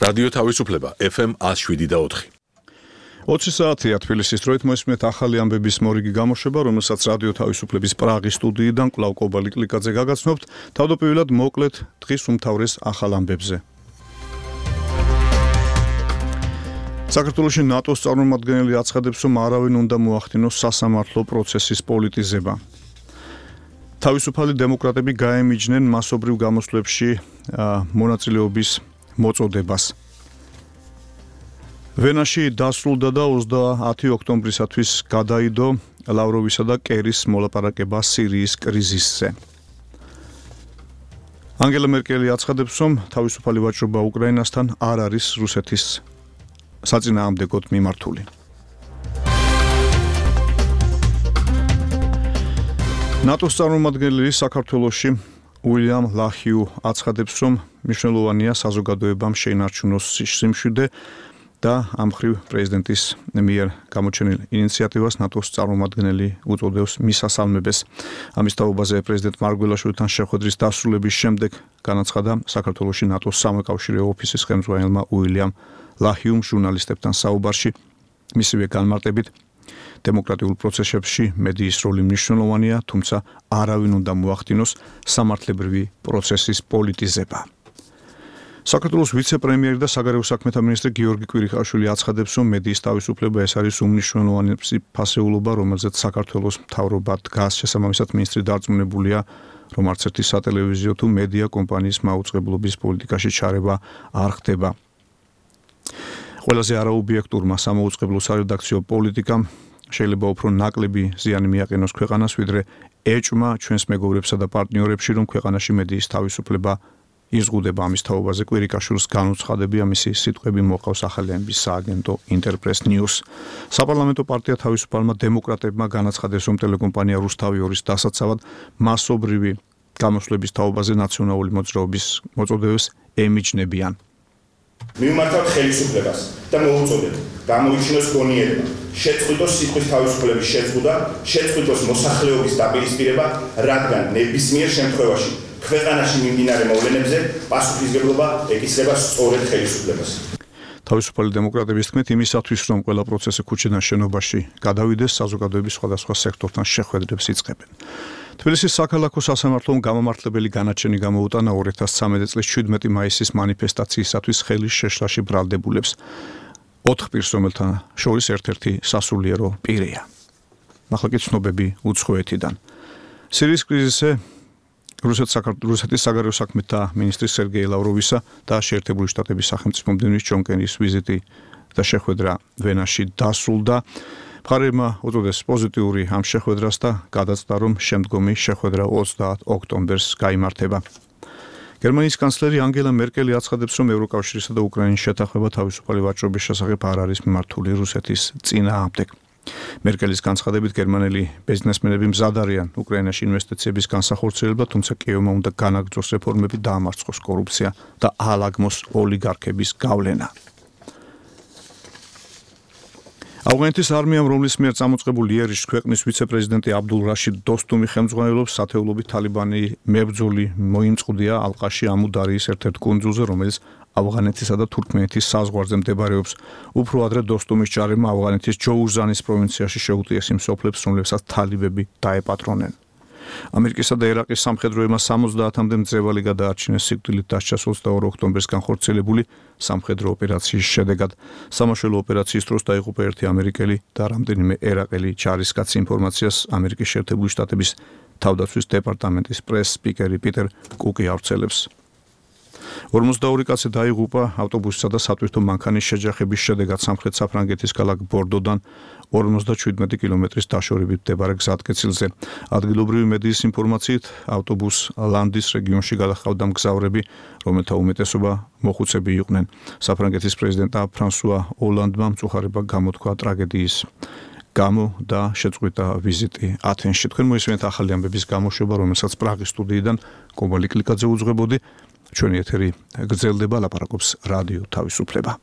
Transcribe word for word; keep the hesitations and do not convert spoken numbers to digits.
რადიო თავისუფლება ეფ ემ ათს შვიდი და ოთხი. ოცი საათია თბილისის დროით მოისმენთ ახალი ამბების მორიგი გამოშვება, რომელსაც რადიო თავისუფლების პრაღის სტუდიიდან კვლავ კობალი კლიკაძე გაგაცნობთ. თავდაპირველად მოკლედ დღის უმთავრეს ახალ ამბებზე. საქართველოში ნატოს წარმომადგენელი აცხადებს, რომ არავინ უნდა მოახდინოს სასამართლო პროცესის პოლიტიზება. თავისუფალი დემოკრატები გაემიჯნენ მასობრივ გამოსვლებში მონაწილეობის მოწოდებას. ვენაში დასრულდა და ოცდაათი ოქტომბრისათვის გადაიდო ლავროვისა და კერის მოლაპარაკება სირიის კრიზისზე. ანგელა მერკელი აცხადებს, რომ თავისუფალი ვაჭრობა უკრაინასთან არ არის რუსეთის საწინააღმდეგოდ მიმართული. ნატოს წარმომადგენელი საქართველოში უილიამ ლაჰიუ აცხადებს, რომ მნიშვნელოვანია საზოგადოებამ შეინარჩუნოს სიმშვიდე და ამ მხრივ პრეზიდენტის მიერ გამოჩენილ ინიციატივას ნატოს წარმომადგენელი უწოდებს მისასალმებელს. ამის თაობაზე პრეზიდენტ მარგველაშვილთან შეხვედრის დასრულების შემდეგ განაცხადა საქართველოში ნატოს სამოუკავშირო ოფისის ხელმძღვანელმა უილიამ ლაჰიუმ ჟურნალისტებთან საუბარში. მისივე განმარტებით, დემოკრატიულ პროცესებში მედიის როლი მნიშვნელოვანია, თუმცა არავინ უნდა მოახდინოს სამართლებრივი პროცესის პოლიტიზება. საქართველოს ვიცე-პრემიერი და საგარეო საქმეთა მინისტრი გიორგი კვირიხაშვილი აცხადებს, რომ მედიის თავისუფლება ეს არის უმნიშვნელოვანესი ფასეულობა, რომელზეც საქართველოს მთავრობა დგას. შესაბამისად, მინისტრი დარწმუნებულია, რომ არც ერთი სატელევიზიო თუ მედია კომპანიის მაუწყებლობის პოლიტიკაში ჩარევა არ ხდება. ყველაზე არაობიექტურმა სამოუწყებლო სარედაქციო პოლიტიკამ შეიძლება უფრო ნაკლები ზიანი მიაყენოს ქვეყანას, ვიდრე ეჭვმა ჩვენს მეგობრებსა და პარტნიორებში, რომ ქვეყანაში მედიის თავისუფლება იზღუდება. ამის თაობაზე კვირიკაშვილს განუცხადებია მისი სიტყვები მოყავს ახალი ამბის სააგენტო ინტერპრეს ნიუს. საპარლამენტო პარტია თავისუფალმა დემოკრატებმა განაცხადეს, რომ ტელეკომპანია რუსთავი ორის დასაცავად მასობრივი გამოსვლების თაობაზე ნაციონალური მოძრაობის მოწოდებას ემიჯნებიან. მივმართავთ ხელისუფლებას და მოუწოდეთ გამოიჩინოს გონიერება, შეწყვიტოს სიტყვის თავისუფლების შეწყვეტა, შეწყვიტოს მოსახლეობის დაპირისპირება, რადგან ნებისმიერ შემთხვევაში ქვეყანაში მიმდინარე მოვლენებზე პასუხისმგებლობა ეკისრება სწორედ ხელისუფლებას. თავისუფალი დემოკრატების თქმით, იმისათვის, რომ ყველა პროცესი ქუჩიდან შენობაში გადავიდეს, საზოგადოების სხვადასხვა სექტორთან შეხვედრებს იწყებენ. თბილისის საქალაქო სასამართლომ გამომართლებელი განაჩენი გამოუტანა ორი ათას ცხრამეტი წლის შვიდმეტი მაისის მანიფესტაციისათვის ხელის შეშლაში ბრალდებულებს. ოთხ პირს, რომელთა შორის ერთ-ერთი სასულიერო პირია. ახლა კი ცნობები უცხოეთიდან. სირიის კრიზისზე რუსეთის საგარეო საქმეთა მინისტრის სერგეი ლავროვისა და შეერთებული შტატების სახელმწიფო მდივნის ჯონ კერის ვიზიტი და შეხვედრა ვენაში დასრულდა. მხარეებმა უწოდეს პოზიტიური ამ შეხვედრას და გადაწყვიტა, რომ შემდგომი შეხვედრა ოცდაათ ოქტომბერს გაიმართება. გერმანიის კანცლერი ანგელა მერკელი აცხადებს, რომ ევროკავშირისა და უკრაინის შეთანხმება თავისუფალი ვაჭრობის შესახებ არ არის მიმართული რუსეთის წინააღმდეგ. მერკელის განცხადებით, გერმანელი ბიზნესმენები მზად არიან უკრაინაში ინვესტიციების განსახორციელებლად, თუმცა კიევმა უნდა განაგრძოს რეფორმები, დაამარცხოს კორუფცია და აალაგმოს ოლიგარქების გავლენა. ავღანეთის არმიამ, რომლის მიერ წამოწყებული იერიშს ქვეყნის ვიცე-პრეზიდენტი აბდულ რაშიდ დოსტუმი ხელმძღვანელობს, სათეულობით თალიბანი მებრძოლი მოიმწყვდია ალყაში ამუდარიის ერთ-ერთ კუნძულზე, რომელიც ავღანეთისა და თურქმენეთის საზღვარზე მდებარეობს. უფრო ადრე დოსტუმის ჯარებმა ავღანეთის ჯოუზანის პროვინციაში შეუტიეს იმ სოფლებს, რომლებსაც თალიბები დაეპატრონნენ. ამერიკისა და ერაყის სამხედროებმა სამოცდაათამდე მძევალი გადაარჩინეს სიკვდილით დასჯას ოცდაორი ოქტომბრის განხორციელებული სამხედრო ოპერაციის შედეგად. სამაშველო ოპერაციის დროს დაიღუპა ერთი ამერიკელი და რამდენიმე ერაყელი ჯარისკაცი. ინფორმაციას ამერიკის შეერთებული შტატების თავდაცვის დეპარტამენტის პრეს სპიკერი პიტერ კუკი ავრცელებს. ორმოცდაორი კაცი დაიღუპა ავტობუსისა და სატვირთო მანქანის შეჯახების შედეგად სამხრეთ საფრანგეთის ქალაქ ბორდოდან ორმოცდაშვიდმეტი კილომეტრის დაშორებით მდებარე გზატკეცილზე. ადგილობრივი მედიის ინფორმაციით, ავტობუს ლანდის რეგიონში გადაჰყავდა მგზავრები, რომელთა უმეტესობა მოხუცები იყვნენ. საფრანგეთის პრეზიდენტმა ფრანსუა ოლანდმა მწუხარება გამოთქვა ტრაგედიის გამო და შეწყვიტა ვიზიტი ათენში. თქვენ მოისმენთ ახალი ამბების გამოშვება, რომელსაც პრაღის სტუდიიდან კობალი კლიკაძე უძღვებოდი. ჩვენი ეთერი გრძელდება, ლაპარაკობს რადიო თავისუფლება.